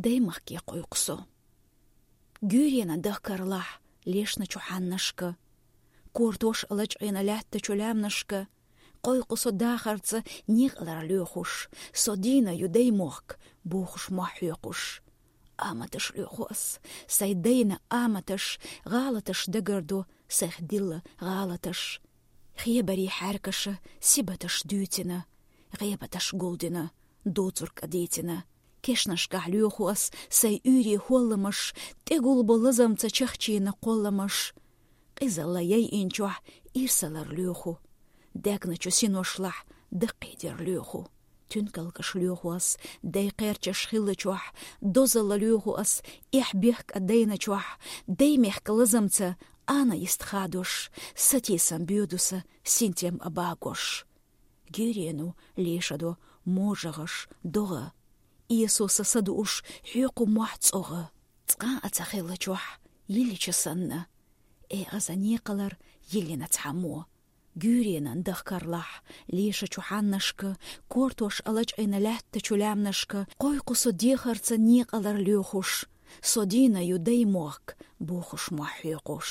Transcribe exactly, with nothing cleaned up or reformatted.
Даймахке къуйкъу со. Гуьйренан дахкарлахь лешначу хьаннашка, кортош алачкъийна лаьттачу лаьмнашка, къуйкъу со дахарца некъалара лоьхуш, со дийна ю даймохк, бохуш мохь хьоькъуш. Аматаш лоьху ас, сай дайна аматаш, гӀалаташ дагардо, сайх дилла гӀалаташ. Хебарий хьаьркаша сибаташ дуьйцина, гӀебаташ гулдина, доцург а дийцина. Кешнашкахь лоьху ас сай уьйре хӀолламаш, тӀегулбо лазамца чахчийна кхолламаш. Къизалла яйинчохь ирсалар лоьху, дегначу синошлахь даккхийдер лоьху. Туьнкалгаш лоьху ас, дай кхерчаш хиллачохь, дозалла лоьху ас, эхь бехк а дайначохь, дай мехка лазамца ана йист хадош, сатийсам боьду са, синтем а багош. Гуьйрено лешадо можагӀаш догӀа. Эсо са садууш хьоькъу мохь цӀогӀа. Цкъа а ца хиллачохь, йиллича санна, э, аза некъалар йиллина цхьаммо. Гуьйренан дахкарлахь лешачу хьаннашка, кортош алачкъийна лаьттачу лаьмнашка, къуйкъу со дехарца некъалар лоьхуш, со дийна ю даймохк, бохуш мохь хьоькъуш.